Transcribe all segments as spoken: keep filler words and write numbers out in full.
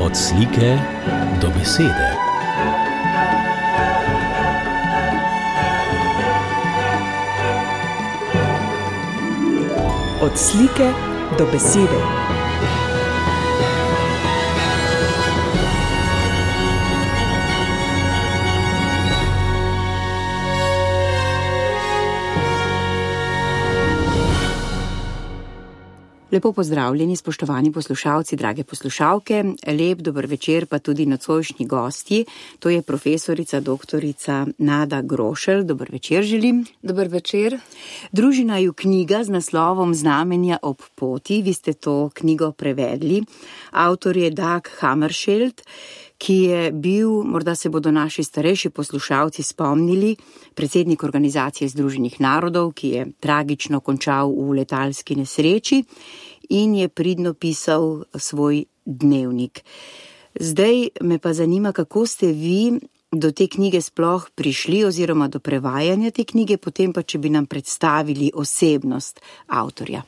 Od slike do besede. Od slike do besede. Lepo pozdravljeni, spoštovani poslušalci, drage poslušalke. Lep dober večer pa tudi nocojšnji gostji. To je profesorica doktorica Nada Grošelj. Dober večer želim. Dober večer. Družina ju knjiga z naslovom Znamenja ob poti. Vi ste to knjigo prevedli. Avtor je Dag Hammarskjöld, ki je bil, morda se bodo naši starejši poslušalci spomnili, predsednik Organizacije združenih narodov, ki je tragično končal v letalski nesreči in je pridno pisal svoj dnevnik. Zdaj me pa zanima, kako ste vi do te knjige sploh prišli oziroma do prevajanja te knjige, potem pa, če bi nam predstavili osebnost avtorja.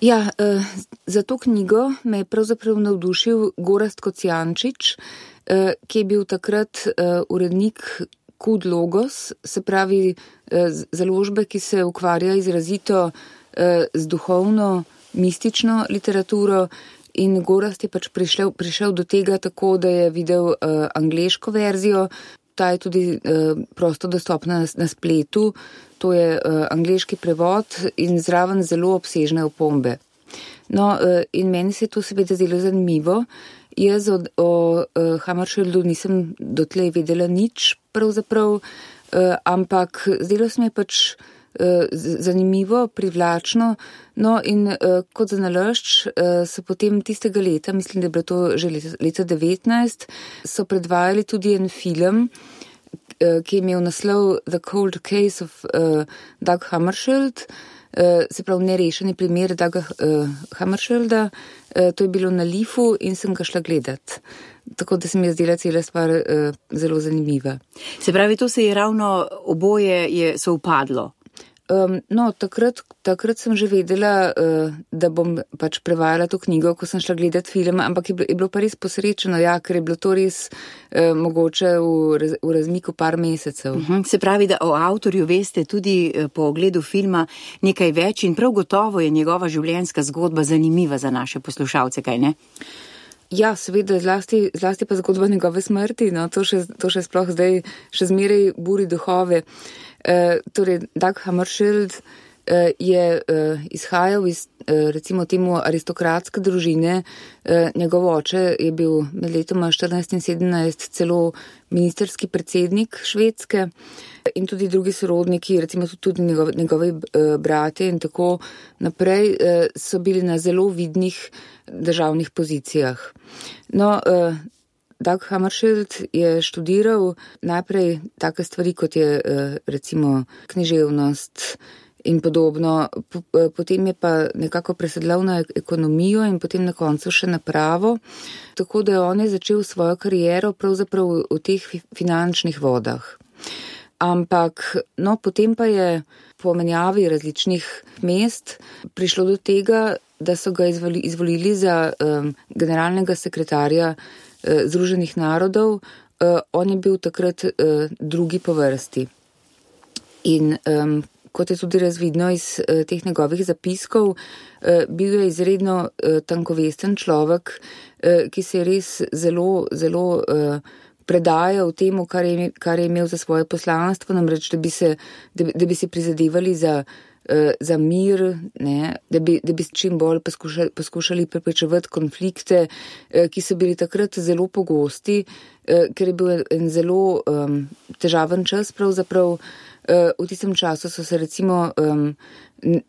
Ja, eh, za to knjigo me je pravzaprav navdušil Gorazd Kocijančič, eh, ki je bil takrat eh, urednik Kud Logos, se pravi eh, založbe, ki se ukvarja izrazito eh, z duhovno, mistično literaturo, in Gorazd je pač prišel, prišel do tega tako, da je videl eh, angleško verzijo. Ta je tudi eh, prosto dostopna na, na spletu. To je uh, angleški prevod in zraven zelo obsežne opombe. No, uh, in meni se je to seveda zelo zanimivo. Jaz o, o uh, Hammarskjöldu nisem dotlej vedela nič pravzaprav, uh, ampak zdelo se mi je pač uh, zanimivo, privlačno. No, in uh, kot za nalašč uh, so potem tistega leta, mislim, da je bilo to že leta, leta devetnajst, so predvajali tudi en film, ki je imel naslov The Cold Case of uh, Dag Hammarskjöld, uh, se pravi nerešeni primer Daga uh, Hammarskjölda. Uh, to je bilo na Lifu in sem ga šla gledat. Tako da se mi je zdela cela stvar uh, zelo zanimiva. Se pravi, to se je ravno oboje je sovpadlo. Um, no, takrat, takrat sem že vedela, uh, da bom pač prevajala to knjigo, ko sem šla gledat film, ampak je bilo, je bilo pa res posrečeno, ja, ker je bilo to res uh, mogoče v, raz, v razmiku par mesecev. Uh-huh. Se pravi, da o avtorju veste tudi uh, po ogledu filma nekaj več in prav gotovo je njegova življenjska zgodba zanimiva za naše poslušalce, kaj ne? Ja, seveda, zlasti, zlasti pa zgodba njegove smrti, no, to še, to še sploh zdaj še zmeraj buri duhove. Uh, torej, Dag Hammarskjöld uh, je uh, izhajal iz, uh, recimo temu, aristokratske družine. Uh, njegov oče je bil med letoma štirinajst in sedemnajst celo ministerski predsednik Švedske in tudi drugi sorodniki, recimo tudi njegovi, njegovi uh, bratje in tako naprej, uh, so bili na zelo vidnih državnih pozicijah. No, uh, Dag Hammarskjöld je študiral najprej take stvari, kot je recimo književnost in podobno, potem je pa nekako presedlal na ekonomijo in potem na koncu še na pravo, tako da on je začel svojo kariero pravzaprav v teh finančnih vodah. Ampak, no, potem pa je po menjavi različnih mest prišlo do tega, da so ga izvoli, izvolili za um, generalnega sekretarja Združenih narodov. Uh, on je bil takrat uh, drugi po vrsti. In um, kot je tudi razvidno iz uh, teh njegovih zapiskov, uh, bil je izredno uh, tankovesten človek, uh, ki se je res zelo, zelo uh, predajal temu, kar je, kar je imel za svoje poslanstvo, namreč, da bi se, da, da bi se prizadevali za za mir, ne, da bi, da bi čim bolj poskušali, poskušali preprečevati konflikte, ki so bili takrat zelo pogosti, ker je bil en zelo um, težaven čas pravzaprav. V tistem času so se recimo um,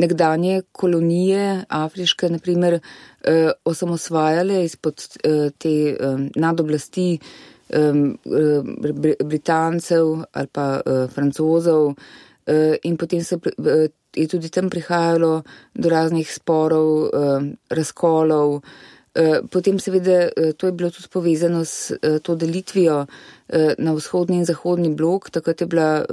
nekdanje kolonije afriške, naprimer, uh, osamosvajale izpod uh, te um, nadoblasti um, Britancev ali pa uh, Francozov, uh, in potem se uh, je tudi tam prihajalo do raznih sporov, razkolov, Potem seveda to je bilo tudi povezano s to delitvijo na vzhodni in zahodni blok, takrat je bila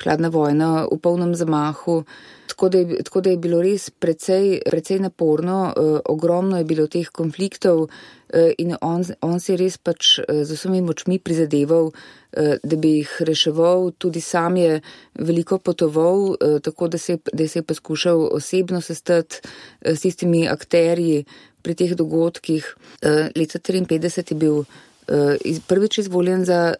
hladna vojna v polnem zamahu, tako da je, tako da je bilo res precej, precej naporno, ogromno je bilo teh konfliktov in on, on se je res pač z vsemi močmi prizadeval, da bi jih reševal, tudi sam je veliko potoval, tako da se, da se je poskušal osebno sestati s tistimi akterji pri teh dogodkih. Leta triinpetdeset je bil prvič izvoljen za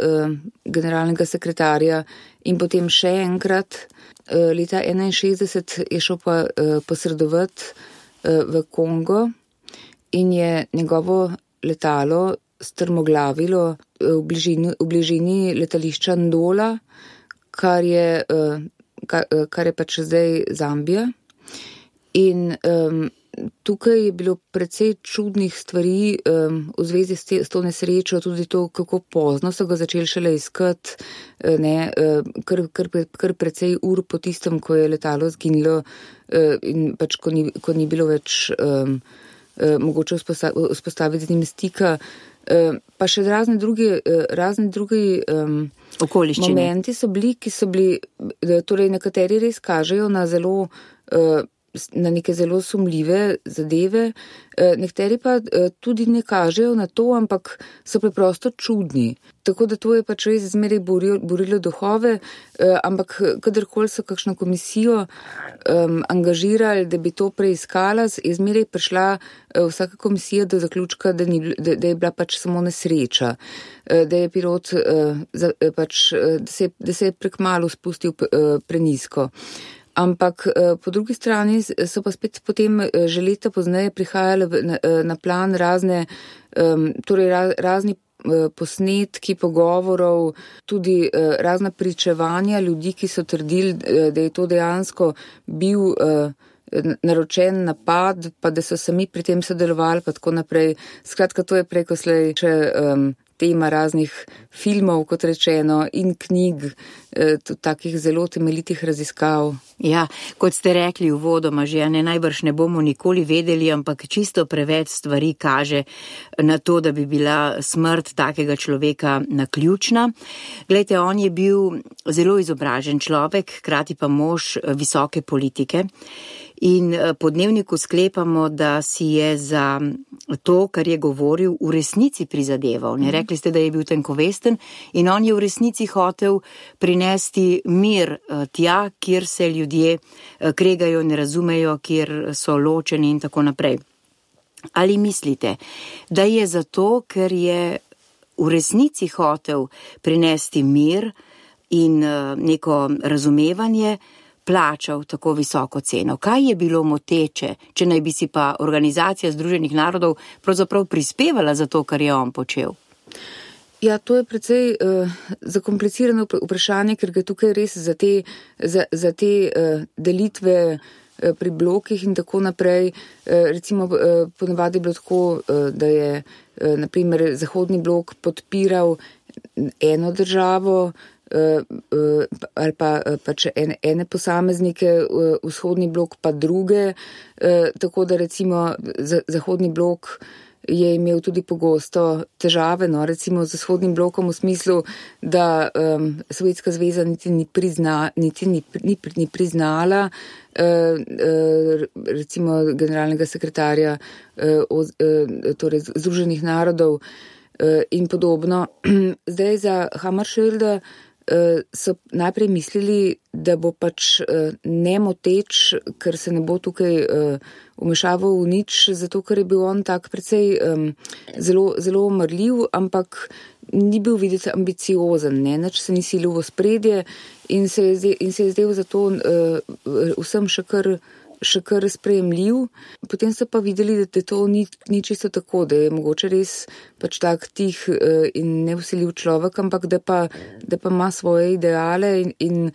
generalnega sekretarja in potem še enkrat leta enainšestdeset je šel pa posredovati v Kongo in je njegovo letalo strmoglavilo v bližini, v bližini letališča Ndola, kar je, kar, kar je pač zdaj Zambija. In um, tukaj je bilo precej čudnih stvari um, v zvezi s, te, s to nesrečo, tudi to, kako pozno so ga začeli šele iskati, ne, kar, kar, kar precej ur po tistem, ko je letalo zginilo in pač ko ni, ko ni bilo več um, mogoče vzpostaviti z njim stika. Pa še razne druge, razne druge um, momenti so bili, ki so bili, torej nekateri res kažejo na zelo uh, na neke zelo sumljive zadeve, nekateri pa tudi ne kažejo na to, ampak so preprosto čudni. Tako da to je pač res zmeraj borilo, borilo duhove, ampak kadarkoli so kakšno komisijo um, angažirali, da bi to preiskala, je zmeraj prišla vsaka komisija do zaključka, da, ni, da, da je bila pač samo nesreča, da je pilot pač, da se, da se je prekmalu spustil prenizko. Ampak po drugi strani so pa spet potem že leta pozneje prihajale na, na plan razne, torej razni posnetki pogovorov, tudi razna pričevanja ljudi, ki so trdili, da je to dejansko bil naročen napad, pa da so sami pri tem sodelovali, pa tako naprej. Skratka, to je preko slej še um, tema raznih filmov, kot rečeno, in knjig, eh, takih zelo temeljitih raziskav. Ja, kot ste rekli uvodoma, že ne najbrž ne bomo nikoli vedeli, ampak čisto preveč stvari kaže na to, da bi bila smrt takega človeka naključna. Glejte, on je bil zelo izobražen človek, hkrati pa mož visoke politike. In po Dnevniku sklepamo, da si je za to, kar je govoril, v resnici prizadeval. Ne, rekli ste, da je bil tenkovesten in on je v resnici hotel prinesti mir tja, kjer se ljudje kregajo, ne razumejo, kjer so ločeni in tako naprej. Ali mislite, da je zato, ker je v resnici hotel prinesti mir in neko razumevanje, plačal tako visoko ceno? Kaj je bilo moteče, če naj bi si pa Organizacija Združenih narodov pravzaprav prispevala za to, kar je on počel? Ja, to je precej uh, zakomplicirano vprašanje, ker ga tukaj res za te, za, za te uh, delitve uh, pri blokih in tako naprej. Uh, recimo, uh, ponavadi je bilo tako, uh, da je uh, naprimer Zahodni blok podpiral eno državo, Uh, uh, ali pa uh, pač ene, ene posameznike, uh, vzhodni blok pa druge, uh, tako da recimo za, zahodni blok je imel tudi pogosto težave, no, recimo z vzhodnim blokom v smislu, da um, Sovjetska zveza niti ni, prizna, niti ni, ni, ni priznala uh, uh, recimo generalnega sekretarja uh, uh, torej Združenih narodov uh, in podobno. Zdaj za Hammarskjölda so najprej mislili, da bo pač nemoteč, ker se ne bo tukaj vmešaval v nič, zato ker je bil on tak precej zelo, zelo omrljiv, ampak ni bil videti ambiciozen, ne, nič se ni silil v spredje in se je, in se je zdel zato vsem še kar še kar sprejemljiv. Potem so pa videli, da to ni, ni čisto tako, da je mogoče res pač tak tih in nevsiljiv človek, ampak da pa, da pa ima svoje ideale in, in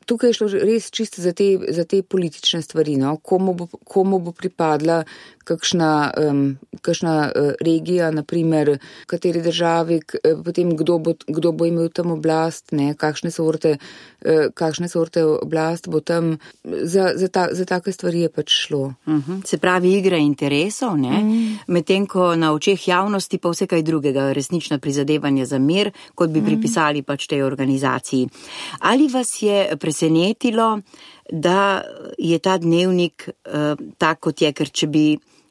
tukaj je šlo res čisto za te, za te politične stvari, no? komu, bo, komu bo pripadla kakšna, um, kakšna uh, regija, naprimer, kateri državi, k, uh, potem kdo bo, kdo bo imel tam oblast, ne? kakšne sorte, uh, kakšne sorte oblast bo tam, za, za, ta, za take stvari je pač šlo. Uh-huh. Se pravi igra interesov, ne? Mm. Medtem ko na očeh javnosti pa vse kaj drugega, resnično prizadevanje za mir, kot bi mm. pripisali pač tej organizaciji. Ali vas je presenetilo, da je ta dnevnik uh, tak, kot je, ker če bi,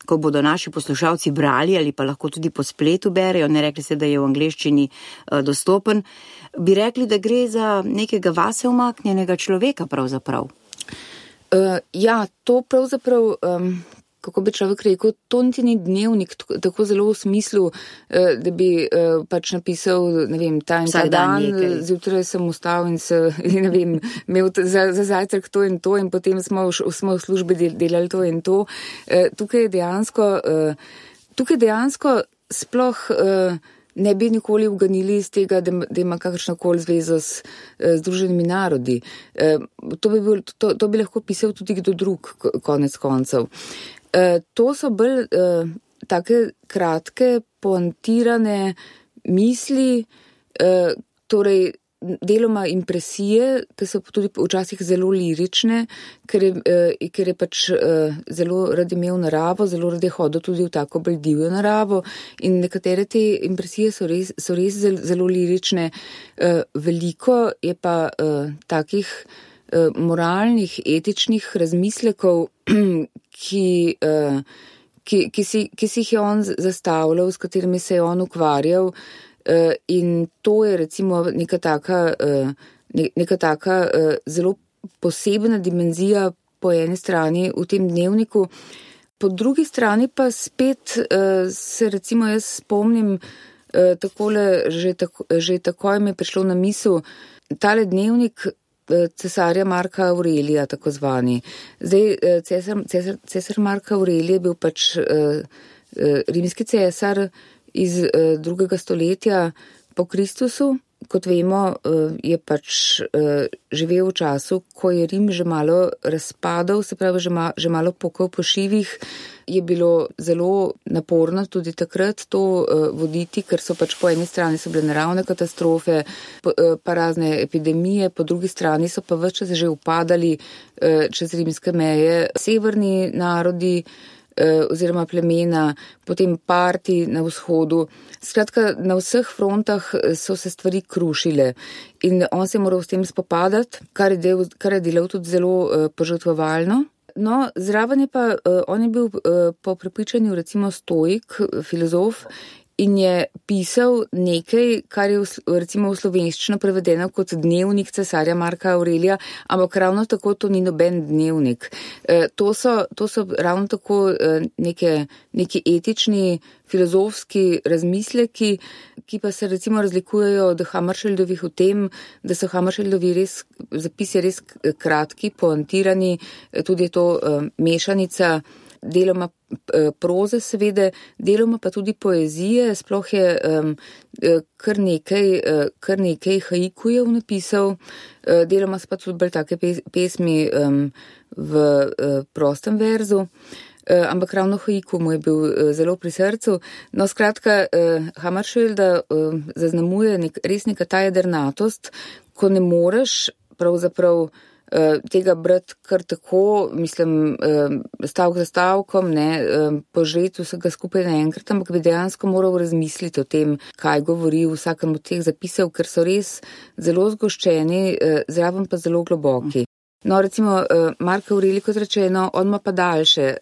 ko bodo naši poslušalci brali ali pa lahko tudi po spletu berejo, ne rekli ste, da je v angleščini uh, dostopen, bi rekli, da gre za nekega vase umaknjenega človeka pravzaprav? Uh, ja, to pravzaprav, um, kako bi človek rekel, to niti ni dnevnik tako, tako zelo v smislu, uh, da bi uh, pač napisal, ne vem, ta in ta dan, zjutraj sem ustal in se, ne vem, imel za, za zajtrk to in to in potem smo v, smo v službi del, delali to in to. Uh, tukaj je dejansko, uh, tukaj dejansko sploh uh, ne bi nikoli uganili iz tega, da, da ima kakršnokoli zvezo s Združenimi narodi. E, to, bi bil, to, to bi lahko pisal tudi kdo drug, konec koncev. E, to so bolj e, take kratke, poantirane misli, e, torej deloma impresije, ki so tudi včasih zelo lirične, ker je, eh, ker je pač eh, zelo rad imel naravo, zelo rad je hodil tudi v tako bolj divjo naravo in nekatere te impresije so res, so res zelo, zelo lirične. Eh, veliko je pa eh, takih eh, moralnih, etičnih razmislekov, ki, eh, ki, ki, si, ki si jih je on zastavljal, s katerimi se je on ukvarjal. Uh, in to je recimo neka taka, uh, ne, neka taka uh, zelo posebna dimenzija po eni strani v tem dnevniku. Po drugi strani pa spet uh, se recimo jaz spomnim uh, takole, že, tako, že takoj mi je prišlo na misel tale dnevnik uh, cesarja Marka Aurelija, tako zvani. Zdaj, uh, cesar, cesar, cesar Marka Aurelija je bil pač uh, uh, rimski cesar, iz uh, drugega stoletja po Kristusu. Kot vemo, uh, je pač uh, živel v času, ko je Rim že malo razpadal, se pravi, že, ma, že malo pokal po šivih. Je bilo zelo naporno tudi takrat to uh, voditi, ker so pač po eni strani so bile naravne katastrofe, po, uh, pa razne epidemije, po drugi strani so pa več čas že upadali uh, čez rimske meje severni narodi, oziroma plemena, potem parti na vzhodu. Skratka, na vseh frontah so se stvari krušile in on se je moral s tem spopadati, kar je, del, kar je delal tudi zelo uh, požrtvovalno. No, zraven je pa, uh, on je bil uh, po prepričanju recimo stoik, filozof, in je pisal nekaj, kar je v, recimo v slovenščino prevedeno kot dnevnik cesarja Marka Aurelija, ampak ravno tako to ni noben dnevnik. E, to, so, to so ravno tako e, neke, neki etični, filozofski razmisleki, ki pa se recimo razlikujejo od Hammarskjöldovih v tem, da so Hammarskjöldovi res, zapisi res kratki, poantirani, tudi je to e, mešanica deloma proze seveda, deloma pa tudi poezije, sploh je um, kar nekaj, kar nekaj haikujev napisal, deloma so pa tudi bolj take pesmi um, v uh, prostem verzu, uh, ampak ravno haiku mu je bil uh, zelo pri srcu. No, skratka, uh, Hammarskjölda uh, zaznamuje nek, res neka ta jedrnatost, ko ne moreš pravzaprav tega brati kar tako, mislim, stavk za stavkom, ne, požreti vsega skupaj naenkrat, ampak bi dejansko moral razmisliti o tem, kaj govori v vsakem od teh zapisov, ker so res zelo zgoščeni, zraven pa zelo globoki. No, recimo, Mark Aurelij, kot rečeno, on ima pa daljše,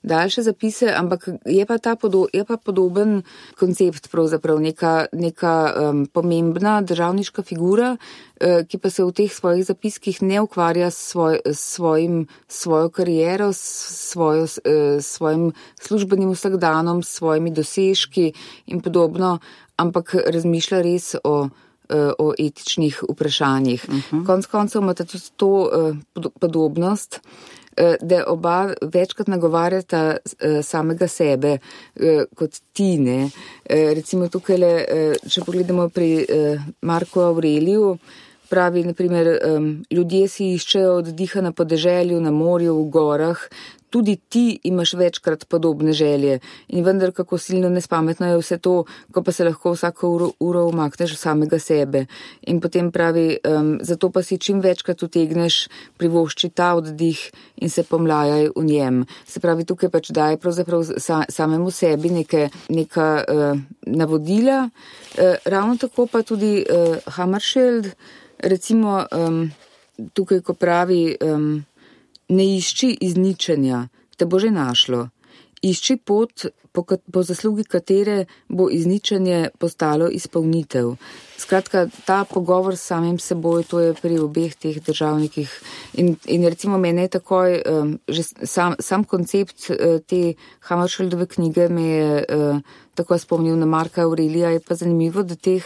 daljše zapise, ampak je pa, ta podo, je pa podoben koncept, pravzaprav neka, neka um, pomembna državniška figura, uh, ki pa se v teh svojih zapiskih ne ukvarja s svoj, svojim, svojo kariero, s svojo, uh, svojim službenim vsakdanom, s svojimi dosežki in podobno, ampak razmišlja res o o etičnih vprašanjih. Uh-huh. Konc koncev imata tudi to uh, podobnost, uh, da oba večkrat nagovarjata uh, samega sebe uh, kot ti, ne. Uh, recimo tukaj, uh, če pogledamo pri uh, Marku Aureliju, pravi, naprimer, um, ljudje si iščejo oddiha na podeželju, na morju, v gorah, tudi ti imaš večkrat podobne želje in vendar kako silno nespametno je vse to, ko pa se lahko vsako uro, uro umakneš samega sebe. In potem pravi, um, zato pa si čim večkrat utegneš privošči ta oddih in se pomlajaj v njem. Se pravi, tukaj pač daje pravzaprav sa, samemu sebi neke, neka uh, navodila. Uh, ravno tako pa tudi uh, Hammarskjöld, recimo um, tukaj, ko pravi, um, ne išči izničenja, te bo že našlo. Išči pot, po, po zaslugi katere bo izničenje postalo izpolnitev. Skratka, ta pogovor s samim seboj, to je pri obeh teh državnikih. In, in recimo mene je takoj, um, že sam, sam koncept uh, te Hammarskjöldove knjige me je uh, tako spomnil na Marka Aurelija. Je pa zanimivo, da, teh,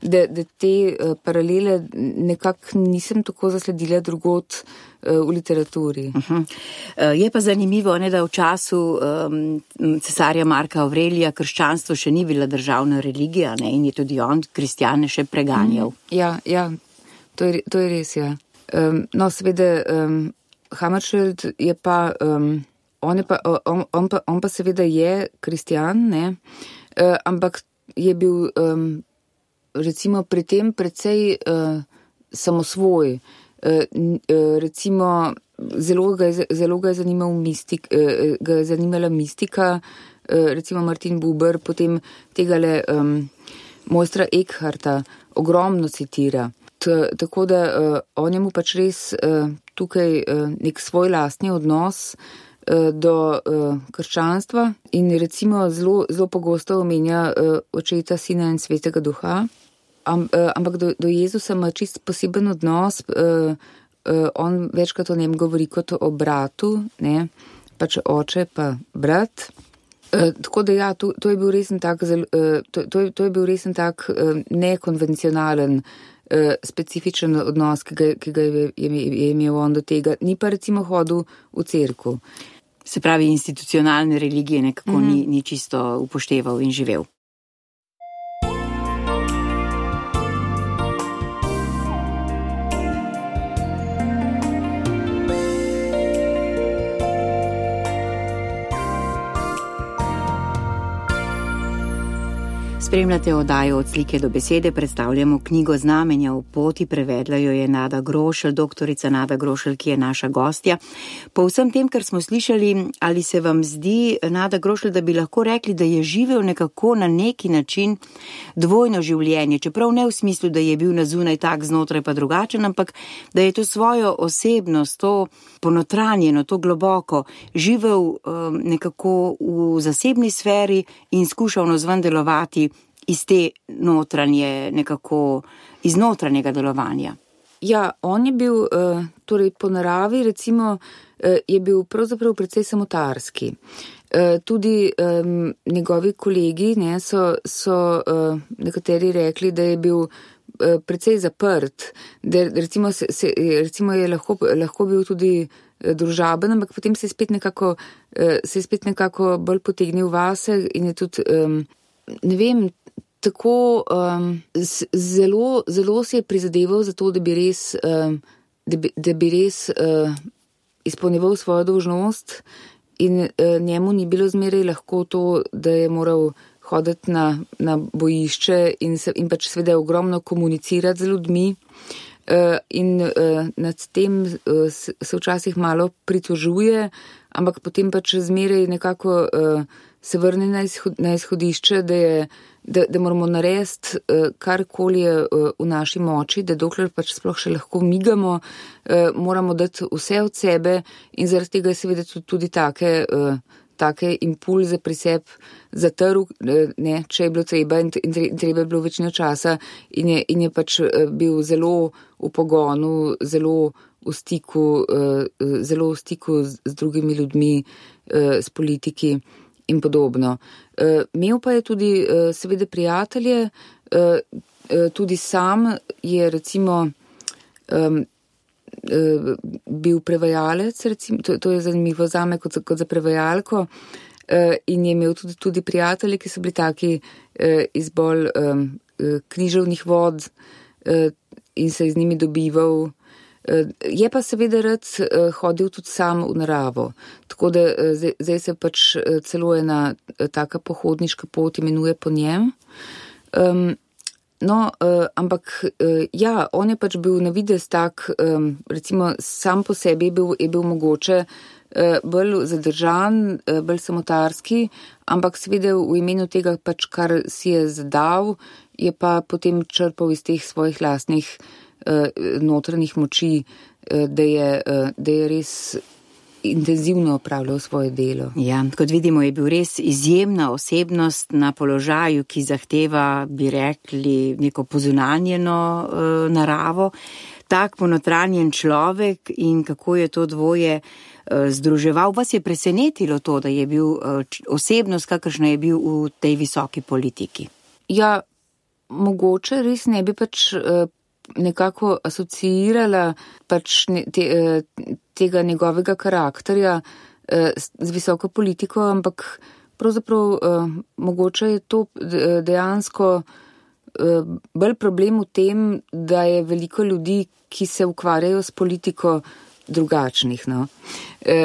da, da te uh, paralele nekako nisem tako zasledila drugot uh, v literaturi. Uh-huh. Uh, je pa zanimivo, ne, da v času um, cesarja Marka Aurelija krščanstvo še ni bila državna religija, ne, in je tudi on kristjane še preganjal. Mm, ja, ja, to je, to je res, ja. Um, no, seveda, um, Hammarskjöld je pa, um, on, je pa on, on, pa, on pa seveda je kristjan, ne, uh, ampak je bil, um, recimo, pri tem precej uh, samosvoj. Uh, uh, recimo, zelo ga je, zelo ga je zanimal mistik, uh, ga je zanimala mistika, uh, recimo Martin Buber, potem tegale um, mojstra Eckharta ogromno citira. T, tako da uh, on je mu pač res uh, tukaj uh, nek svoj lastni odnos uh, do uh, krščanstva in recimo zelo, zelo pogosto omenja uh, očeta, sina in svetega duha. Am, uh, ampak do, do Jezusa ima čist poseben odnos, uh, uh, on večkrat o njem govori kot o bratu, ne, pač oče pa brat. Uh, tako da ja, to, to je bil resen tak, uh, to, to, je, to je bil resen tak uh, nekonvencionalen, uh, specifičen odnos, ki ga, ki ga je, je, je imel on do tega. Ni pa recimo hodil v cerkev. Se pravi, institucionalne religije nekako mm-hmm. ni, ni čisto upošteval in živel. Spremljate oddajo Od slike do besede, predstavljamo knjigo Znamenja v poti, prevedla jo je Nada Grošelj, doktorica Nada Grošelj, ki je naša gostja. Po vsem tem, kar smo slišali, ali se vam zdi, Nada Grošelj, da bi lahko rekli, da je živel nekako na neki način dvojno življenje, čeprav ne v smislu, da je bil na zunaj tak, znotraj pa drugačen, ampak da je to svojo osebnost, to ponotranjeno, to globoko, živel um, nekako v zasebni sferi in skušal navzven delovati iz te notranje, nekako iz notranjega delovanja. Ja, on je bil, uh, torej po naravi, recimo, uh, je bil pravzaprav precej samotarski. Uh, tudi um, njegovi kolegi, ne, so, so uh, nekateri rekli, da je bil uh, precej zaprt, da recimo, se, se, recimo je lahko, lahko bil tudi uh, družaben, ampak potem se je spet nekako, uh, se je spet nekako bolj potegnil vase in je tudi, um, ne vem, tako um, zelo, zelo se je prizadeval za to, da bi res, um, da bi, da bi res uh, izpolnjeval svojo dolžnost in uh, njemu ni bilo zmeraj lahko to, da je moral hoditi na, na bojišče in, se, in pač seveda ogromno komunicirati z ljudmi. Uh, in uh, nad tem uh, se, se včasih malo pritožuje, ampak potem pač zmeraj nekako uh, se vrne na, izhod, na izhodišče, da, je, da, da moramo narediti uh, karkoli je uh, v naši moči, da dokler pač sploh še lahko migamo, uh, moramo dati vse od sebe in zaradi tega je seveda tudi, tudi take, uh, take impulze pri sebi zatrl, ne, če je bilo treba in, in treba je bilo večino časa in je, in je pač bil zelo v pogonu, zelo v stiku, uh, zelo v stiku z, z drugimi ljudmi, uh, s politiki in podobno. Uh, imel pa je tudi uh, seveda prijatelje, uh, uh, tudi sam je recimo um, uh, bil prevajalec, recimo, to, to je zanimivo zame kot, kot za prevajalko, uh, in je imel tudi, tudi prijatelje, ki so bili taki uh, iz bolj um, književnih vod, uh, in se z njimi dobival. Je pa seveda rad hodil tudi sam v naravo, tako da zdaj se pač celo ena taka pohodniška pot imenuje po njem. Um, no, uh, ampak uh, ja, on je pač bil na videz tak, um, recimo sam po sebi je bil, je bil mogoče uh, bolj zadržan, uh, bolj samotarski, ampak seveda v imenu tega pač, kar si je zadal, je pa potem črpal iz teh svojih lastnih notranjih moči, da je, da je res intenzivno opravljal svoje delo. Ja, kot vidimo, je bil res izjemna osebnost na položaju, ki zahteva, bi rekli, neko pozunanjeno uh, naravo. Tak ponotranjen človek in kako je to dvoje uh, združeval. Vas je presenetilo to, da je bil uh, osebnost, kakršna je bil v tej visoki politiki? Ja, mogoče res ne bi pač uh, nekako asociirala pač te, tega njegovega karakterja z visoko politiko, ampak pravzaprav mogoče je to dejansko bolj problem v tem, da je veliko ljudi, ki se ukvarjajo s politiko drugačnih, no.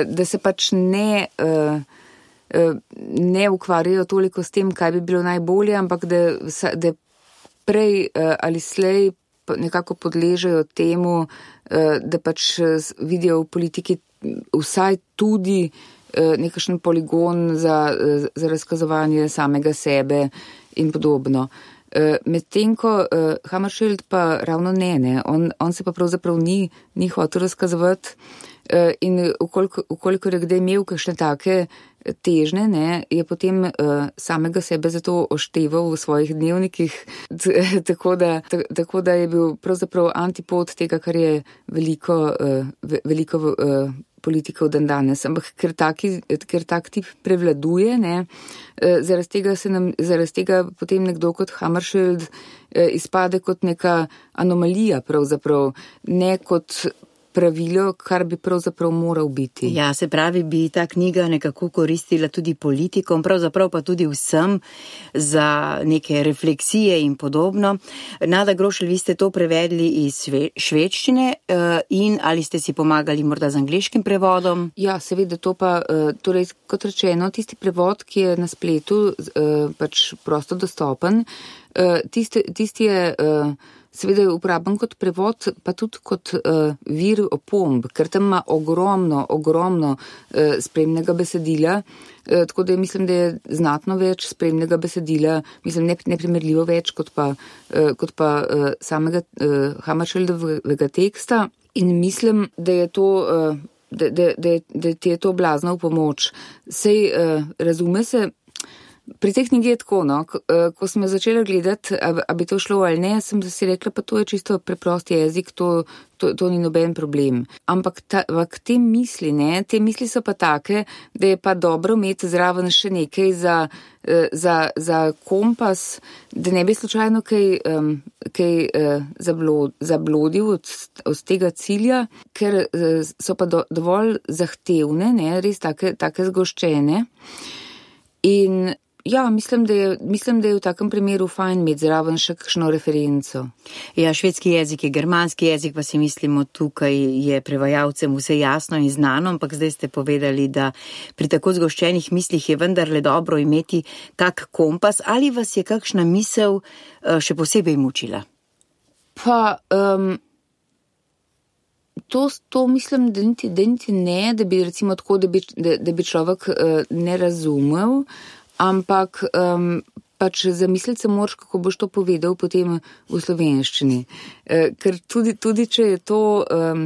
Da se pač ne, ne ukvarjajo toliko s tem, kaj bi bilo najbolje, ampak da, da prej ali slej nekako podležejo temu, da pač vidijo v politiki vsaj tudi nekakšen poligon za, za razkazovanje samega sebe in podobno. Medtem ko Hammarskjöld pa ravno ne, ne. On, on se pa pravzaprav ni, ni hotel razkazovati in ukolikor je kdaj imel kakšne take težne, ne, je potem uh, samega sebe zato ošteval v svojih dnevnikih, tako da, tako da je bil pravzaprav antipod tega, kar je veliko, uh, veliko uh, politikov dan danes. Ampak ker, taki, ker tak tip prevladuje, ne, uh, zaradi tega se nam, zaradi tega potem nekdo kot Hammarskjöld uh, izpade kot neka anomalija pravzaprav, ne kot pravilo, kar bi pravzaprav moral biti. Ja, se pravi, bi ta knjiga nekako koristila tudi politikom, pravzaprav pa tudi vsem za neke refleksije in podobno. Nada Grošelj, vi ste to prevedli iz švedščine in ali ste si pomagali morda z angleškim prevodom? Ja, seveda, to pa, torej, kot rečeno, tisti prevod, ki je na spletu pač prosto dostopen, tisti, tisti je seveda je uporaben kot prevod, pa tudi kot uh, vir opomb, ker tam ima ogromno, ogromno uh, spremnega besedila, uh, tako da mislim, da je znatno več spremnega besedila, mislim, ne, neprimerljivo več kot pa, uh, kot pa uh, samega uh, Hammarskjöldovega teksta in mislim, da je to, uh, da, da, da, da ti je to blazno v pomoč. Sej uh, razume se, pri tej knjigi je tako, no, ko, ko sem jo začela gledati, a, a bi to šlo ali ne, sem si rekla, pa to je čisto preprost jezik, to, to, to ni noben problem. Ampak ta, te misli, ne, te misli so pa take, da je pa dobro imeti zraven še nekaj za, za, za kompas, da ne bi slučajno kaj, um, kaj uh, zablod, zablodil od, od tega cilja, ker uh, so pa do, dovolj zahtevne, ne, res take, take zgoščene. In ja, mislim da, je, mislim, da je v takem primeru fajn imeti zraven še kakšno referenco. Ja, švedski jezik je germanski jezik, pa si mislimo, tukaj je prevajalcem vse jasno in znano, ampak zdaj ste povedali, da pri tako zgoščenih mislih je vendarle dobro imeti kak kompas, ali vas je kakšna misel še posebej mučila? Pa, um, to, to mislim, da niti, da niti ne, da bi recimo tako, da bi, da, da bi človek uh, ne razumel, ampak um, pač zamisliti se moraš, kako boš to povedal potem v slovenščini. E, ker tudi, tudi, če je to um,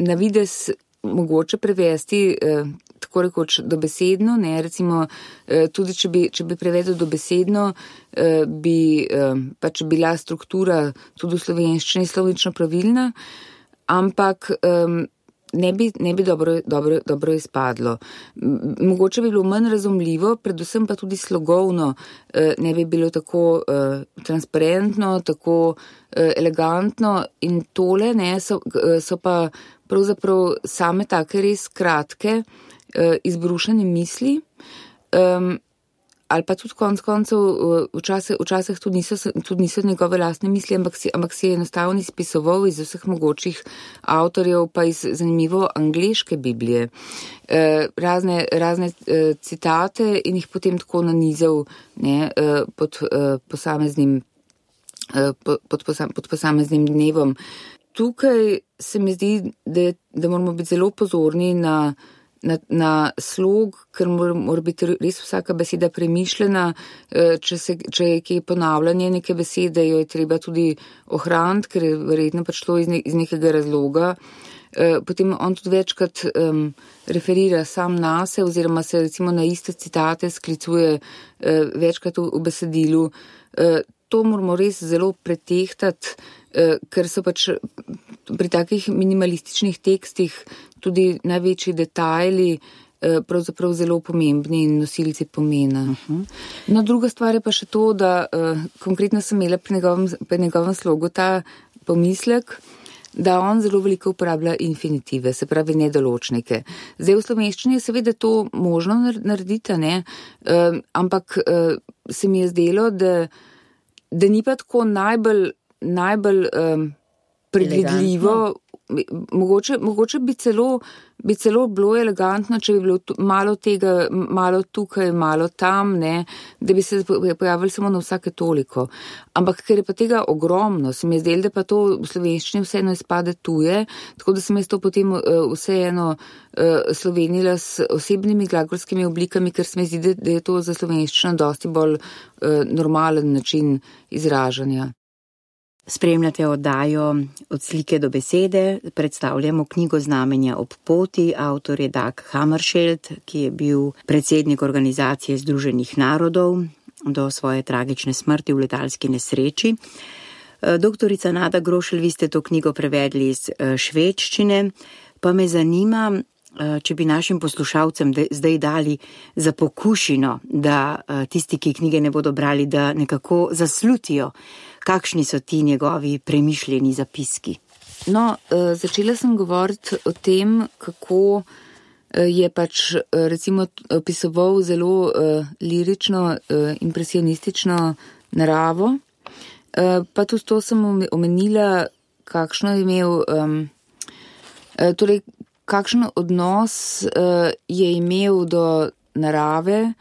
na videz mogoče prevesti e, tako rekoč dobesedno, ne, recimo e, tudi, če bi, če bi prevedel dobesedno, e, bi e, pač bila struktura tudi v slovenščini slovnično pravilna, ampak um, ne bi, ne bi dobro, dobro, dobro izpadlo. Mogoče bi bilo manj razumljivo, predvsem pa tudi slogovno ne bi bilo tako uh, transparentno, tako uh, elegantno in tole ne, so, so pa pravzaprav same take res kratke uh, izbrušene misli, um, ali pa tudi konc koncev včasih, včasih tudi niso, tudi niso njegove lastne misli, ampak si, ampak si je enostavno izpisoval iz vseh mogočih avtorjev, pa iz zanimivo angleške Biblije, eh, razne, razne eh, citate in jih potem tako nanizal, ne, eh, pod eh, posameznim, eh, pod, pod, posam, pod posameznim dnevom. Tukaj se mi zdi, da, da moramo biti zelo pozorni na Na, na slog, ker mora, mora biti res vsaka beseda premišljena, če, se, če je kje ponavljanje neke besede, jo je treba tudi ohraniti, ker je verjetno pač šlo iz, ne, iz nekega razloga. Potem on tudi večkrat um, referira sam nase, oziroma se recimo na iste citate sklicuje uh, večkrat v, v besedilu. Uh, to moramo res zelo pretehtati, uh, ker so pač pri takih minimalističnih tekstih tudi največji detajli pravzaprav zelo pomembni in nosilci pomena. Uh-huh. No, druga stvar je pa še to, da uh, konkretno sem imela pri njegovem, pri njegovem slogu ta pomislek, da on zelo veliko uporablja infinitive, se pravi nedoločnike. Zdaj v slovenščini je seveda to možno narediti, ne? Uh, ampak uh, se mi je zdelo, da, da ni pa tako najbolj, najbolj um, predvidljivo. Mogoče, mogoče bi celo, bi celo bilo elegantno, če bi bilo malo tega, malo tukaj, malo tam, ne, da bi se pojavili samo na vsake toliko. Ampak ker je pa tega ogromno, se mi je zdelo, da pa to v slovenščini vseeno izpade tuje, tako da sem jaz to potem vseeno slovenila s osebnimi glagolskimi oblikami, ker se mi zdi, da je to za slovenščino dosti bolj normalen način izražanja. Spremljate oddajo Od slike do besede, predstavljamo knjigo Znamenja ob poti, avtor je Dag Hammarskjöld, ki je bil predsednik Organizacije Združenih narodov do svoje tragične smrti v letalski nesreči. Doktorica Nada Grošelj, vi ste to knjigo prevedli iz švedščine, pa me zanima, če bi našim poslušalcem zdaj dali za pokušino, da tisti, ki knjige ne bodo brali, da nekako zaslutijo, kakšni so ti njegovi premišljeni zapiski. No, začela sem govoriti o tem, kako je pač recimo opisoval zelo lirično, impresionistično naravo, pa tudi to sem omenila, kakšno je imel, torej kakšen odnos je imel do narave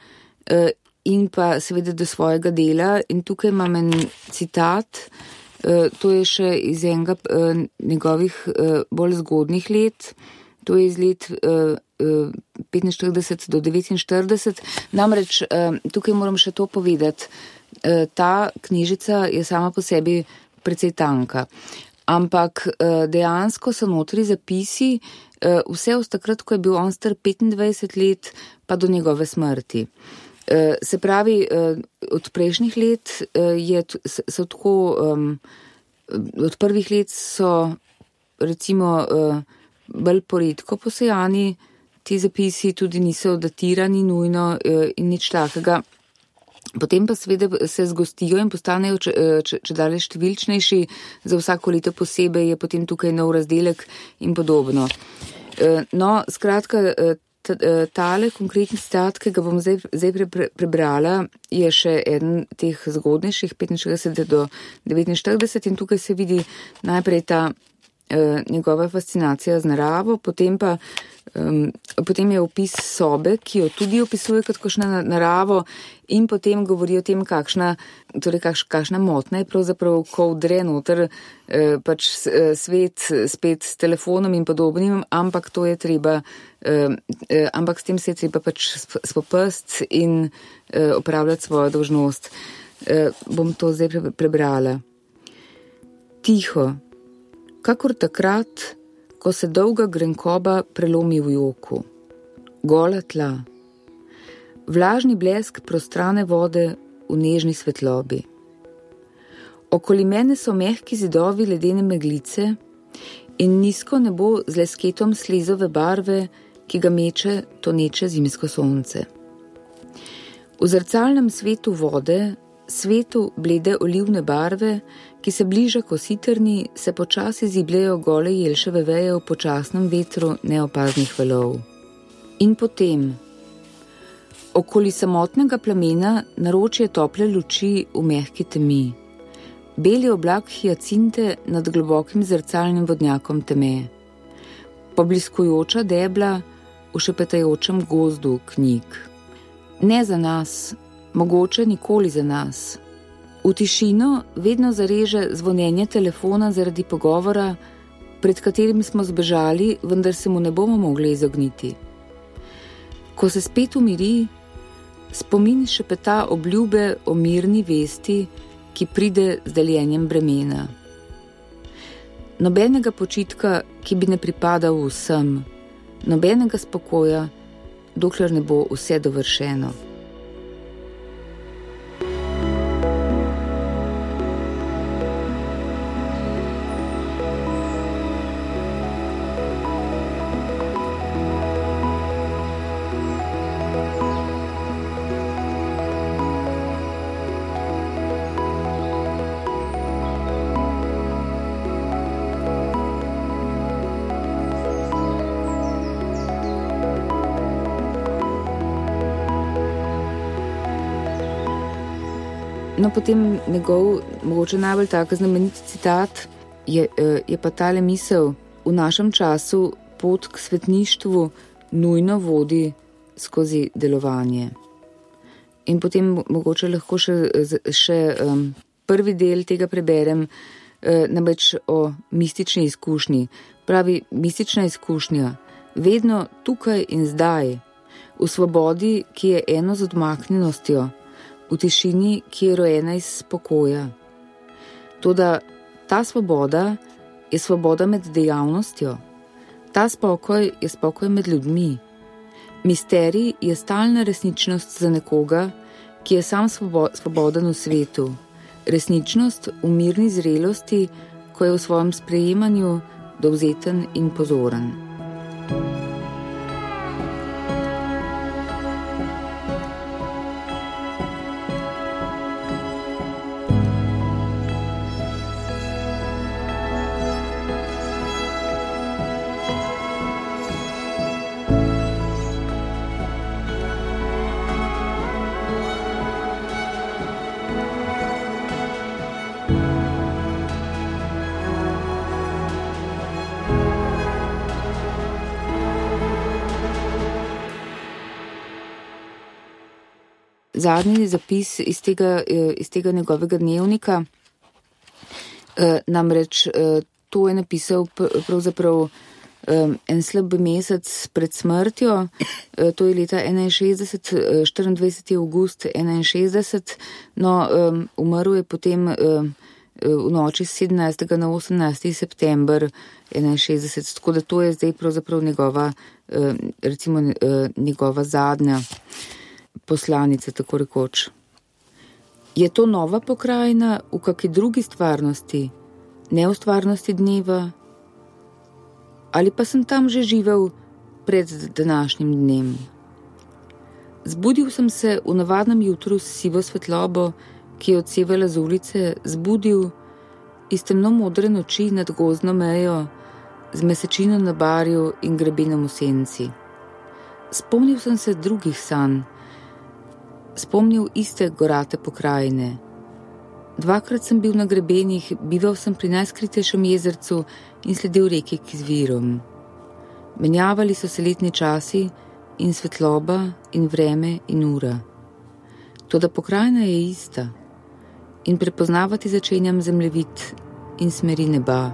in pa seveda do svojega dela. In tukaj imam en citat, to je še iz enega njegovih bolj zgodnih let, to je iz let petinštirideset do devetinštirideset. Namreč tukaj moram še to povedati, ta knjižica je sama po sebi precej tanka, ampak dejansko so notri zapisi vse od takrat, ko je bil on star petindvajset let, pa do njegove smrti. Se pravi, od prejšnjih let je, so tako, od prvih let so recimo bolj poredko posejani, ti zapisi tudi niso datirani nujno in nič takega. Potem pa seveda se zgostijo in postanejo če, če, če dalje številčnejši, za vsako leto posebej je potem tukaj nov razdelek in podobno. No, skratka, tale konkretni citat, ki ga bom zdaj, zdaj pre, pre, prebrala, je še eden teh zgodnejših, petinšestdeset do devetinštirideset, in tukaj se vidi najprej ta eh, njegova fascinacija z naravo, potem pa um, potem je opis sobe, ki jo tudi opisuje kot kakšna naravo, in potem govori o tem, kakšna, torej kakš, kakšna motna je pravzaprav, ko vdre noter eh, pač svet spet s telefonom in podobnim, ampak to je treba, eh, eh, ampak s tem se je treba pač spopast in eh, opravljati svojo dolžnost. Eh, bom to zdaj pre, prebrala. Tiho, kakor takrat, ko se dolga grenkoba prelomi v joku. Gola tla. Vlažni blesk prostrane vode v nežni svetlobi. Okoli mene so mehki zidovi ledene meglice in nizko nebo z lesketom slizove barve, ki ga meče toneče zimsko sonce. V zrcalnem svetu vode, svetu blede olivne barve, ki se bliža kositrni, se počasi zibljejo gole jelševe veje v počasnem vetru neopaznih valov. In potem, Okoli samotnega plamena naročje tople luči v mehki temi. Beli oblak hiacinte nad globokim zrcalnim vodnjakom teme. Pobliskujoča debla v šepetajočem gozdu knjig. Ne za nas, mogoče nikoli za nas. V tišino vedno zareže zvonjenje telefona zaradi pogovora, pred katerim smo zbežali, vendar se mu ne bomo mogli izogniti. Ko se spet umiri, spomin šepeta obljube o mirni vesti, ki pride z deljenjem bremena. Nobenega počitka, ki bi ne pripadal vsem, nobenega spokoja, dokler ne bo vse dovršeno. No, potem njegov, mogoče najbolj tak znameniti citat je, je pa tale misel: v našem času pot k svetništvu nujno vodi skozi delovanje. In potem mogoče lahko še, še um, prvi del tega preberem, uh, namreč o mistični izkušnji. Pravi, mistična izkušnja, vedno tukaj in zdaj, v svobodi, ki je eno z odmaknjenostjo, v tišini, ki je rojena iz spokoja. Toda ta svoboda je svoboda med dejavnostjo. Ta spokoj je spokoj med ljudmi. Misterij je stalna resničnost za nekoga, ki je sam svoboden v svetu. Resničnost v mirni zrelosti, ko je v svojem sprejemanju dovzeten in pozoren. Zadnji zapis iz tega, iz tega njegovega dnevnika, namreč to je napisal pravzaprav en slab mesec pred smrtjo, to je leta enainšestdeset, štiriindvajseti avgust enainšestdeset, no, umrl je potem v noči sedemnajstega na osemnajsti september enainšestdeset, tako da to je zdaj pravzaprav njegova, recimo njegova zadnja poslanica, tako rekoč. Je to nova pokrajina v kakšni drugi stvarnosti, ne v stvarnosti dneva? Ali pa sem tam že živel pred današnjim dnem? Zbudil sem se v navadnem jutru s sivo svetlobo, ki je odsevala z ulice, zbudil iz temno modre noči nad gozdno mejo, z mesečino na barju in grebenom v senci. Spomnil sem se drugih sanj, spomnil iste gorate pokrajine. Dvakrat sem bil na grebenih, bival sem pri najskritejšem jezercu in sledil reki k izvirom. Menjavali so se letni časi in svetloba in vreme in ura. Toda pokrajina je ista in prepoznavati začenjam zemljevid in smeri neba.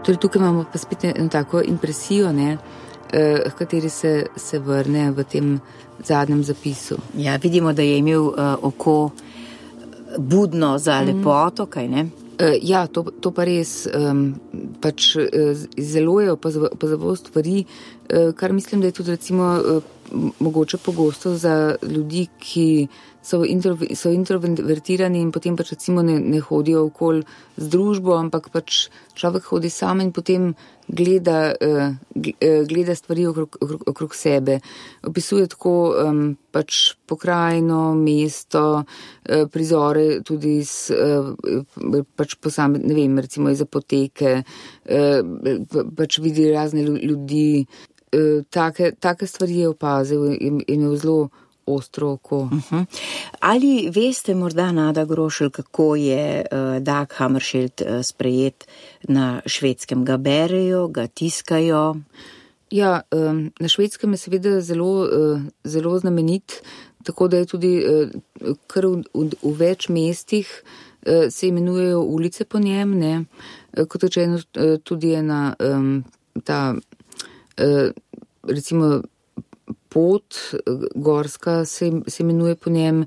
Torej, tukaj imamo pa spet eno tako impresijo, ne, v kateri se, se vrne v tem zadnjem zapisu. Ja, vidimo, da je imel uh, oko budno za lepoto, mm. kaj ne? Uh, ja, to, to pa res, um, pač uh, zelo je opazoval stvari, uh, kar mislim, da je tudi recimo uh, mogoče pogosto za ljudi, ki so, intro, so introvertirani in potem pač recimo ne, ne hodijo okoli z družbo, ampak pač človek hodi sam in potem gleda, gleda stvari okrog, okrog, okrog sebe. Opisuje tako um, pač pokrajino, mesto, prizore tudi iz pač posame, ne vem, recimo iz apoteke, pač vidi razne ljudi. Take, take stvari je opazil in je imel zelo ostro oko. Uh-huh. Ali veste morda, Nada Grošelj, kako je uh, Dag Hammarskjöld uh, sprejet na Švedskem? Ga berejo, ga tiskajo? Ja, um, na Švedskem je seveda zelo, uh, zelo znamenit, tako da je tudi uh, kar v, v, v več mestih uh, se imenujejo ulice po njem, ne? Uh, kot rečeno, uh, tudi je na um, ta uh, recimo pot gorska se, se imenuje po njem,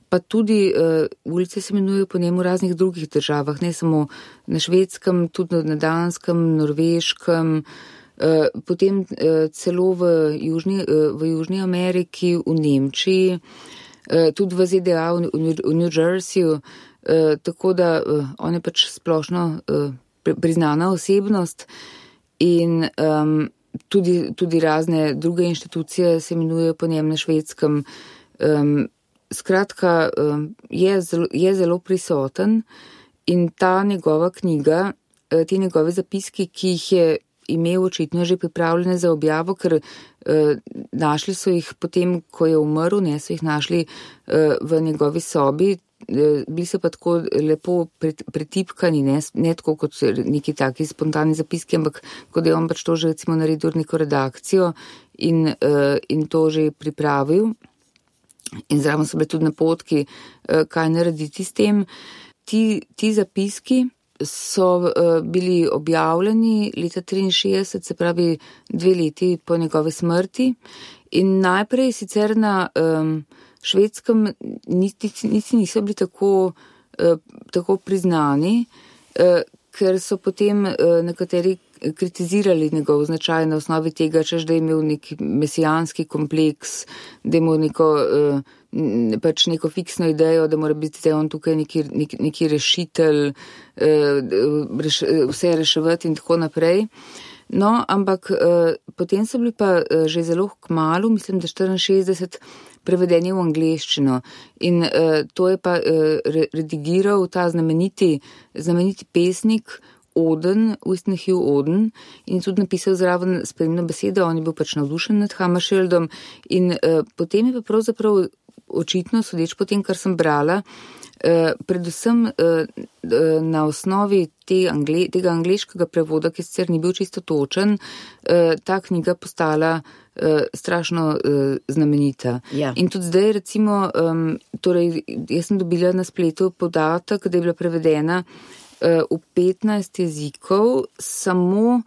pa tudi uh, ulice se imenujejo po njem v raznih drugih državah, ne samo na Švedskem, tudi na Danskem, Norveškem, uh, potem uh, celo v Južni, uh, v Južni Ameriki, v Nemčiji, uh, tudi v Z D A, v, v New Jerseyju, uh, tako da uh, on je pač splošno uh, priznana osebnost in um, Tudi, tudi razne druge inštitucije se imenujejo po njem na Švedskem. Um, skratka, um, je, zelo, je zelo prisoten in ta njegova knjiga, ti njegovi zapiski, ki jih je imel očitno že pripravljene za objavo, ker uh, našli so jih potem, ko je umrl, ne so jih našli uh, v njegovi sobi. Bili so pa tako lepo pretipkani, ne, ne tako kot neki taki spontani zapiski, ampak kot je on pač to že recimo naredil neko redakcijo in, uh, in to že pripravil. In zraven so bile tudi napotki, uh, kaj narediti s tem. Ti, ti zapiski so uh, bili objavljeni leta triinšestdeset, se pravi dve leti po njegovi smrti in najprej sicer na um, Švedskem niti, niti niso bili tako, eh, tako priznani, eh, ker so potem eh, nekateri kritizirali njegov značaj na osnovi tega, češ da je imel neki mesijanski kompleks, da je imel neko, eh, pač neko fiksno idejo, da mora biti on tukaj neki, neki, neki rešitelj, eh, reš, vse reševati in tako naprej. No, ampak eh, potem so bili pa eh, že zelo kmalu, mislim, da štiriinšestdeset, prevedeni v angleščino in uh, to je pa uh, redigiral ta znameniti, znameniti pesnik Oden, Winston Hugh Oden in tudi napisal zraven spremno besedo, on je bil pač navdušen nad Hammarskjöldom in uh, potem je pa pravzaprav očitno, sodeč po tem, kar sem brala, uh, predvsem uh, na osnovi te angle, tega angleškega prevoda, ki sicer ni bil čisto točen, uh, ta knjiga postala Uh, strašno uh, znamenita. Ja. In tudi zdaj recimo, um, torej jaz sem dobila na spletu podatek, da je bila prevedena uh, v petnajst jezikov, samo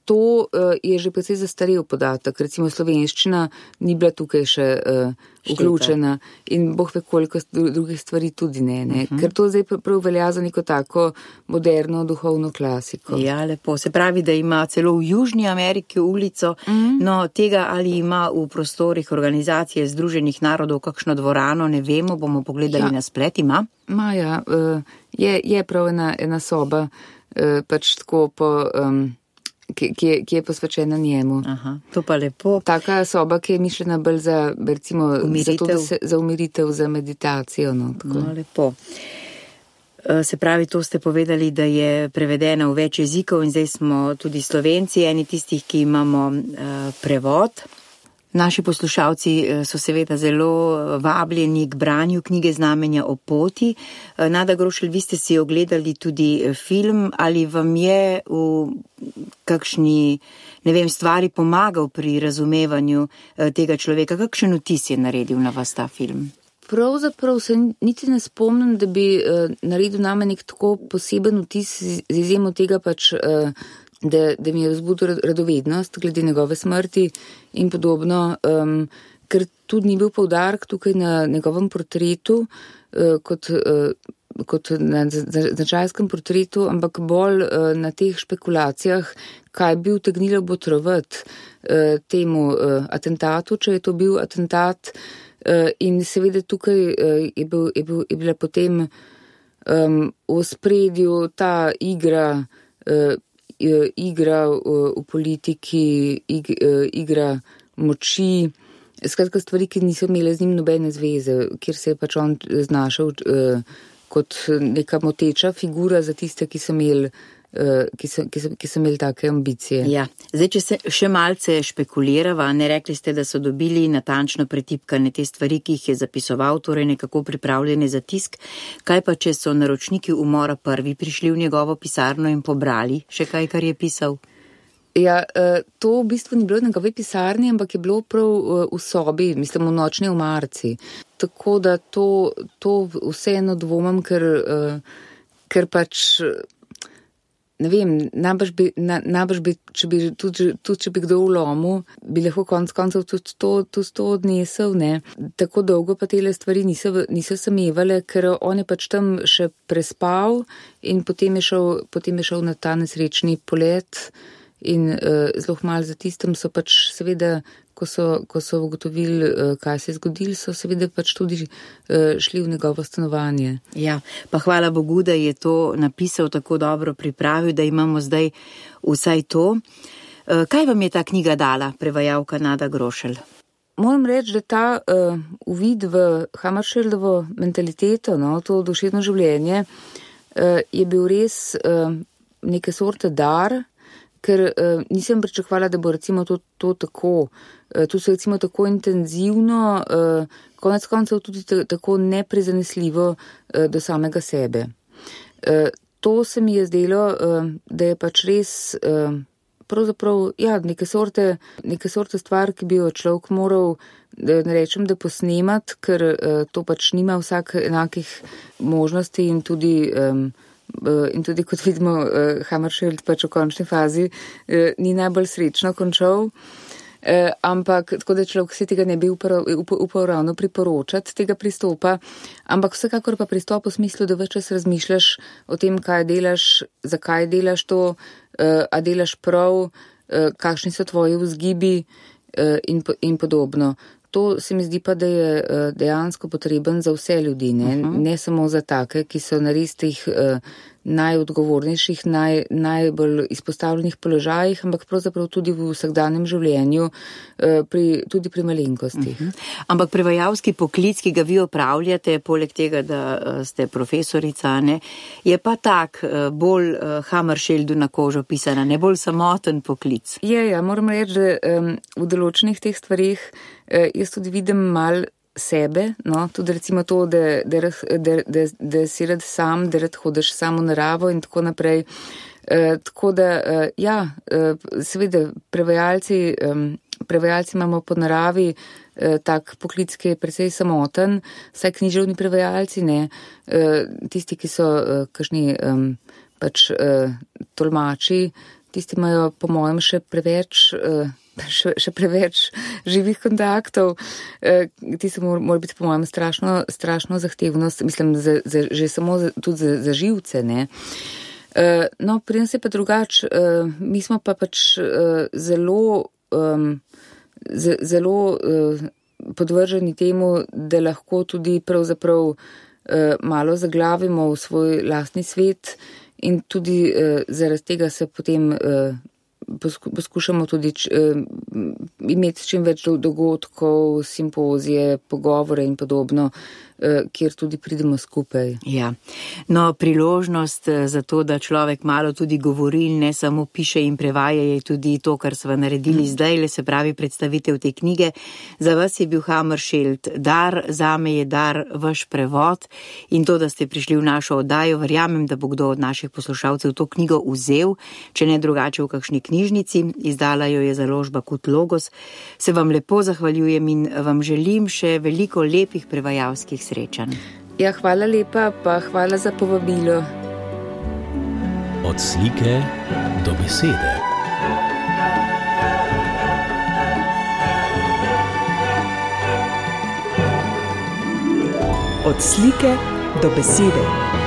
to uh, je že precej zastarel podatek. Recimo slovenščina ni bila tukaj še uh, vključena in boh ve koliko drugih stvari tudi ne, ne? Uh-huh. Ker to zdaj prav velja za neko tako moderno duhovno klasiko. Ja, lepo. Se pravi, da ima celo v Južni Ameriki ulico, uh-huh. No tega ali ima v prostorih organizacije Združenih narodov kakšno dvorano, ne vemo, bomo pogledali ja. Na splet, ima? Ma ja, uh, je, je prav ena, ena soba, uh, pač tako po... Um, Ki, ki, je, ki je posvečena njemu. Aha, to pa lepo. Taka soba, ki je mišljena bolj za, recimo, za, to, se, za umiritev, za meditacijo. No, tako. No, lepo. Se pravi, to ste povedali, da je prevedena v več jezikov in zdaj smo tudi Slovenci, eni tistih, ki imamo uh, prevod. Naši poslušalci so seveda zelo vabljeni k branju knjige Znamenja o poti. Nada Grošelj, vi ste si ogledali tudi film, ali vam je v kakšni, ne vem, stvari pomagal pri razumevanju tega človeka? Kakšen vtis je naredil na vas ta film? Pravzaprav se niti ne spomnim, da bi uh, naredil name nek tako poseben vtis z izjemo tega pač... Uh, Da, da mi je vzbudil radovednost glede njegove smrti in podobno, um, ker tudi ni bil poudarek tukaj na njegovem portretu, uh, kot uh, kot na značajskem portretu, ampak bolj na teh špekulacijah, kaj bi utegnilo botrovati temu atentatu, če je to bil atentat. In seveda tukaj je, bil, je, bil, je bila potem um, v spredju ta igra, uh, igra v politiki, ig, igra moči, skratka stvari, ki niso imele z njim nobene zveze, kjer se je pač on znašel uh, kot neka moteča figura za tiste, ki so imeli, uh, ki so, ki so, ki so imeli take ambicije. Ja, zdaj, če se še malce špekulirava, ne rekli ste, da so dobili natančno pretipkane te stvari, ki jih je zapisoval, torej nekako pripravljene za tisk. Kaj pa, če so naročniki umora prvi prišli v njegovo pisarno in pobrali še kaj, kar je pisal? Ja, to v bistvu ni bilo v njegovi pisarni, ampak je bilo prav v sobi, mislim, v nočni omarci. Tako da to, to vseeno dvomam, ker, ker pač, ne vem, najbrž bi, najbrž bi, če bi, tudi, tudi če bi kdo vlomil, bi lahko konc koncev tudi to, tudi to odnesel, ne. Tako dolgo pa tele stvari niso, niso samevale, ker on je pač tam še prespal in potem je šel, potem je šel na ta nesrečni polet. In uh, zelo malo za tistem so pač seveda, ko so, ko so ugotovili, uh, kaj se je zgodilo, so seveda pač tudi uh, šli v njegovo stanovanje. Ja, pa hvala Bogu, da je to napisal tako dobro pripravil, da imamo zdaj vsaj to. Uh, kaj vam je ta knjiga dala, prevajalka Nada Grošelj? Moram reči, da ta uh, uvid v Hammarskjöldovo mentaliteto, no, to duševno življenje, uh, je bil res uh, neke sorte dar, ker uh, nisem pričakovala, da bo recimo to, to tako, uh, to se recimo tako intenzivno, uh, konec koncev tudi t- tako neprizanesljivo uh, do samega sebe. Uh, to se mi je zdelo, uh, da je pač res uh, pravzaprav, ja, neke sorte, neke sorte stvar, ki bi jo človek moral, da ne rečem, da posnemat, ker uh, to pač nima vsak enakih možnosti in tudi um, In tudi, kot vidimo, Hammarskjöld pač v končni fazi ni najbolj srečno končal, ampak tako da človek si tega ne bi upal, upal ravno priporočati tega pristopa, ampak vsekakor pa pristop v smislu, da več čas razmišljaš o tem, kaj delaš, zakaj delaš to, a delaš prav, kakšni so tvoji vzgibi in, in podobno. To se mi zdi pa, da je dejansko potreben za vse ljudi, ne, uh-huh. ne samo za take, ki so na res teh uh, najodgovornejših, naj, najbolj izpostavljenih položajih, ampak pravzaprav tudi v vsakdanjem življenju, uh, pri, tudi pri malenkostih. Uh-huh. Ampak prevajalski poklic, ki ga vi opravljate, poleg tega, da uh, ste profesorica, ne, je pa tak uh, bolj uh, Hammarskjöldu na kožo pisana, ne bolj samoten poklic. Je, ja, moram reči, da um, v določenih teh stvarih uh, jaz tudi vidim mal sebe, no, tudi recimo to, da, da, da, da, da si rad sam, da rad hodiš samo v naravo in tako naprej. E, tako da, e, ja, e, seveda, prevajalci, e, prevajalci imamo po naravi e, tak poklic, ki je precej samoten, vsaj književni prevajalci, ne, e, tisti, ki so e, kakšni e, pač e, tolmači, tisti imajo po mojem še preveč e, Še, še preveč živih kontaktov, eh, ti se mora, mora biti po mojem strašno, strašno zahtevnost, mislim, za, za, že samo za, tudi za, za živce, ne. Eh, no, pri nas je pa drugač, eh, mi smo pa pač eh, zelo, eh, z, zelo eh, podvrženi temu, da lahko tudi pravzaprav eh, malo zaglavimo v svoj lastni svet in tudi eh, zaradi tega se potem eh, poskušamo tudi č, eh, imeti čim več dogodkov, simpozije, pogovore in podobno, eh, kjer tudi pridemo skupaj. Ja, no, priložnost za to, da človek malo tudi govori in ne samo piše in prevaja, je tudi to, kar sva naredili mm. zdaj, le se pravi predstavitev te knjige. Za vas je bil Hammarskjöld dar, zame je dar vaš prevod in to, da ste prišli v našo oddajo, verjamem, da bo kdo od naših poslušalcev to knjigo vzel, če ne drugače v kakšni knjižnici, izdala jo je založba Kut Logos. Se vam lepo zahvaljujem in vam želim še veliko lepih prevajalskih srečanj. Ja, hvala lepa, pa hvala za povabilo. Od slike do besede. Od slike do besede.